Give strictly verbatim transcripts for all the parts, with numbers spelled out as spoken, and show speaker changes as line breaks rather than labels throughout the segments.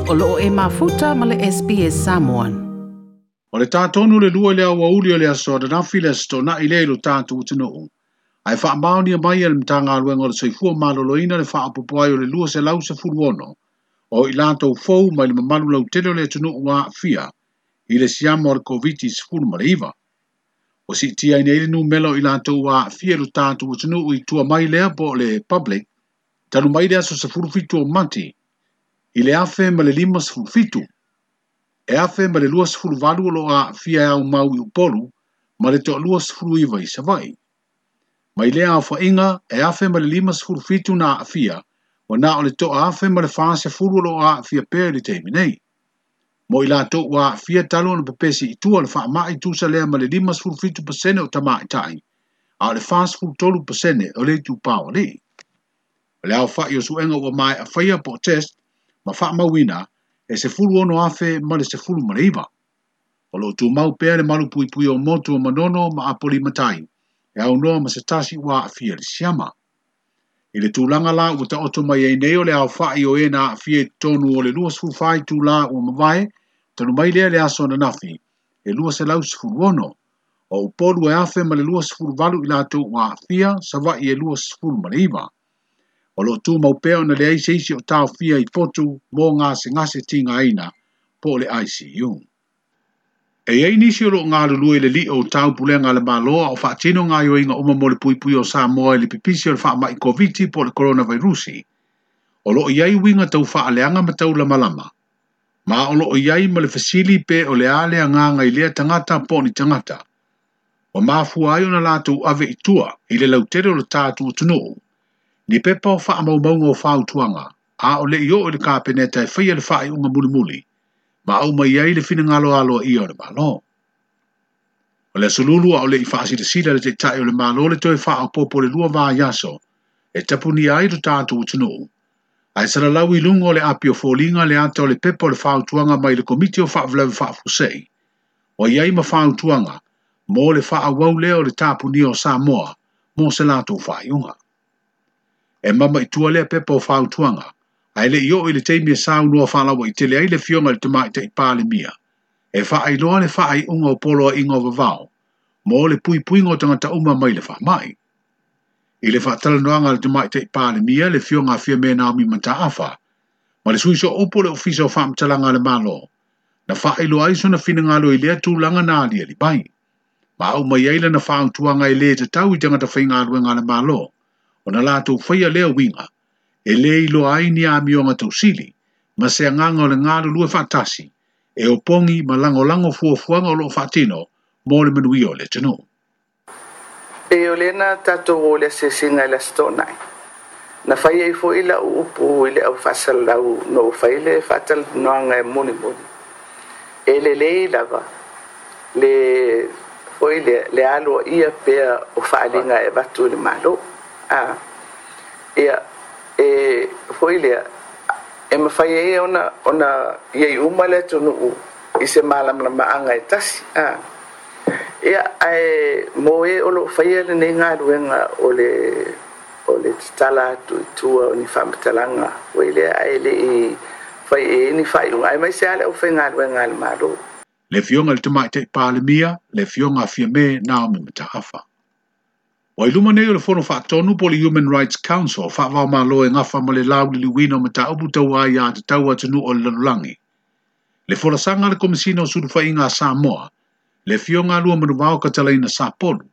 O loo e mafuta ma le S B S Samoan.
O le tātonu le lua le awauli o le aso ananafi le aso tona'i lea i lo tatou atunuu. Ae faamaonia mai e le Matagaluega o le Soifua Maloloina le faaopoopo ai o le lua selau sefulu ono o i latou fou mai le mamalu lautele o le atunuu ua aafia i le siama o le Koviti sefulu ma le iva. Ua siitia ai nei le numera o i latou ua aafia i lo tatou atunuu i tua mai lea po o le public, talu mai le aso sefulu fitu o Mati i le afe ma le lima sefulu fitu. E afe ma le lua sefulu valu o lo o aafia e aumau i Upolu ma le toalua sefulu iva i Savaii. Mai lea aofaiga e afe ma le lima sefulu fitu na aafia, ua na o le toa afe ma le fa sefulu o lo o aafia pea i le taimi nei. Mo i latou ua aafia talu ona pepesi i tua le faamai tusa lea ma le lima sefulu fitu pasene o tamaitai, a o le fa sefulu tolu pasene o le itupā o alii. O le aofai o suega ua maea faia po o test ma faamauina e sefulu ono afe ma le sefulu ma le iva. O lo o tumau pea le malu puipui o motu o Manono ma Apoli Matai, e aunoa ma se tasi ua aafia le siama. I le tulaga la ua taoto mai ai nei o le aofai o e na aafia i totonu o le lua sefulu fa itulā ua mavae, talu mai lea le aso ananafi, e lua selau sefulu ono. O Upolu e afe ma le lua sefulu valu i latou ua aafia, Savaii e lua sefulu ma le iva. O lo o tumau pea ona leai se isi o taofia i potu mo gasegase tigaina po o le I C U. E iai nisi o lo o galulue i le li'o o taupulega a le Malo a o faatino gaoioiga uma mo le puipui o Samoa i le pipisi o le faama'i Koviti po o le coronavirusi. O lo o iai uiga tau faaleaga ma taulamalama. Ma o lo o iai ma le fesili pe o le a le agaga i lea tagata po o ni tagata. Ua mafua ai ona latou ave i tua i le lautele o le tatou atunuu. Ni pepa o faamaumauga o fautuaga, a o le i oo i le kapeneta e faia le faaiuga mulimuli, ma au mai ai le finagalo aloaia o le Malo. O le aso Lulu a o le i faasilasila le taitai o le Malo le toe faaopoopo le lua vaiaso e tapunia ai lo tatou atunuu. Ae salalau i luga o le api o foliga le ata o le pepa o le fautuaga mai le Komiti o Faalavelave Faafuasei. Ua i ai ma fautuaga mo le faaauau lea o le tapunia o Samoa mo se latou faaiuga. E mama i tua lea pepa o fautuaga, ae le i oo i le taimi e saunoa faalaua-itele ai le afioga i le Tamaitai Palemia, e faailoa le faaiuga o poloaiga o vavao mo le puipuiga o tagata uma mai le faamai. I le faatalanoaga a le Tamaitai Palemia, le afioga a Fiame Naomi Mataafa, ma le sui sooupu o le Ofisa o Faamatalaga a le Malo, na faailoa ai sona finagalo i lea tulaga na aliali mai. Ma au mai ai lana fautuaga e lē tatau i tagata faigaluega a le Malo, ona latou faia lea uiga, e lē iloa ai ni amioga tausili, ma se agaga o le galulue faatasi, e opogi ma lagolago fuafuaga o loo faatino mo le manuia o le atunuu.
E o lena tatou o le asiasiga i le aso toonai. Na fai ai fo'i la'u upu i le au faasalalau na ou fai le faatalanoaga e mulimuli. E lelei lava le fo'i lea le aloaia pea o faaaliga e avatu i le Malo. A ia e fo'i lea e mafai ai ona ona iai uma le atunuu i se malamalamaaga e tasi. A ia ae mo e o loo faia lenei galuega o le o le tatala atu i tua o ni faamatalaga foi lea ae le'i fai e ni faaiuga ae maise a le aufaigaluega a le Malo.
Le afioga i le Tamaitai Palemia, le afioga a Fiame Naomi Mataafa. Ua i luma nei o le Fono Faatonu po o le Human Rights Council faavaomalo e gafa ma le lauliliuina o mataupu tau aiā tatau atunuu o le lalolagi. Le folasaga a le Komesina o Sulufaiga a Samoa, le afioga a Luamanuvao Katalaina Sapolu,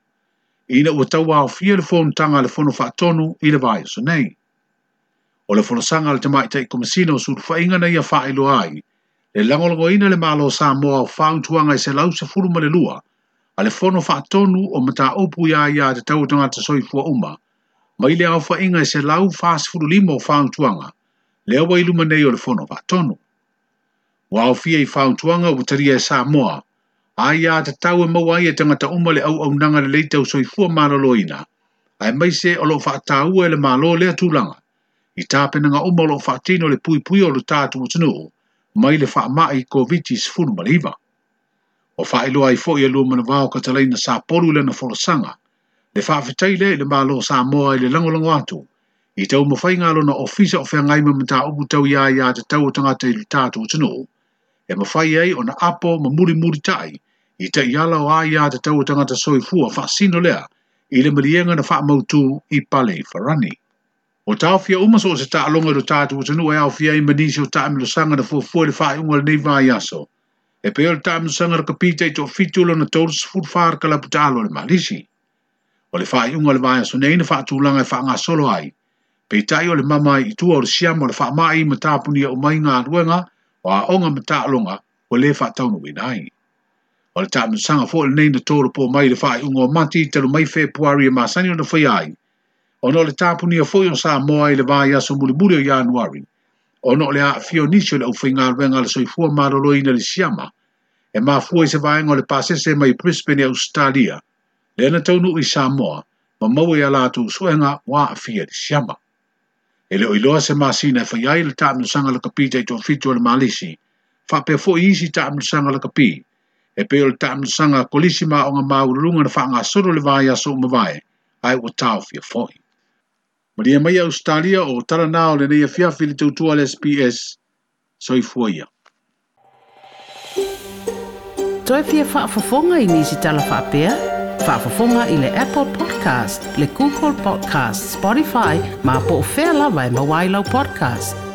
ina ua tauaofia le fonotaga a le Fono Faatonu i le vaiaso nei. O le folasaga a le Tamaitai Komesina o Sulufaiga na ia faailoa ai, le lagolagoina le Malo o Samoa o fautuaga e selau sefulu ma le lua, a le Fono Faatonu o mataupu ia aiā tatau o tagata soifua uma, mai le aofaiga e selau fa sefulu lima o fautuaga, lea ua i luma nei o le Fono Faatonu. Ua aofia i fautuaga ua talia e Samoa, aiā tatau e maua ai e tagata uma le auaunaga lelei tau soifua maloloina, aemaise o loo faataua e le Malo lea tulaga, i tapenaga uma o loo faatino le puipui o lo tatou atunuu, mai le faama'i Koviti sefulu ma le iva. O faailoa ai fo'i e Luamanuvao Katalaina Sapolu i lana folasaga, le faafetai lea i le Malo o Samoa i le lagolago atu, I taumafaiga a lona ofisa o feagai ma mataupu tau iā iā tatau o tagata i le tatou atunuu, e mafai ai ona apo ma mulimulitaʻi i taʻiala o aiā tatau o tagata soifua faasino lea i le maliega na faamautū i pale farani. O taofia uma so o se taaloga i lo tatou atunuu e aofia ai ma nisi o taamilosaga na fuafua i le faaiuga o lenei vaiaso. E pei o le taamilosaga lakapi taitoafitu lona tolu sefulu fa kalapu taalo a le Malisi. O le faaiuga o le vaiaso nei na faatulaga e faagasolo ai. Peitai o le mama ai i tua o le siama o le faamai ma tapunia uma ai galuega o aoga ma taaloga ua lē faataunuuina ai. O le taamilosaga foi lenei na tolopo mai i le faaiuga o Mati talu mai Fepuari e masani ona faia ai. Ona o le tapunia foi o Samoa i le vaiaso mulimuli o Ianuari, ona o le aafia o nisi o le aufaigaluega a le soifua maloloina i le siama, e mafua i se vaega o le pasese mai Brisbane i Ausetalia, lea na taunuu i Samoa, ma maua i a latou suega ua aafia i le siama. E le o iloa se masina e fai ai le taamilosaga lakapi taitoafitu a le Malisi, faapea foi isi taamilosaga lakapi, e pei o le taamilosaga kolisi ma aoga maualuluga na faagasolo le vaiaso ua mavae, ae ua taofia foi. Malie mai Ausetalia o tala na o lenei afiafi i le tautua a le S B S. Soifua ia.
Toe fia faafofoga i nisi tala faapea? Faafofoga i le Apple Podcast, le Google Podcast, Spotify, ma po o fea lava e maua ai lau podcast.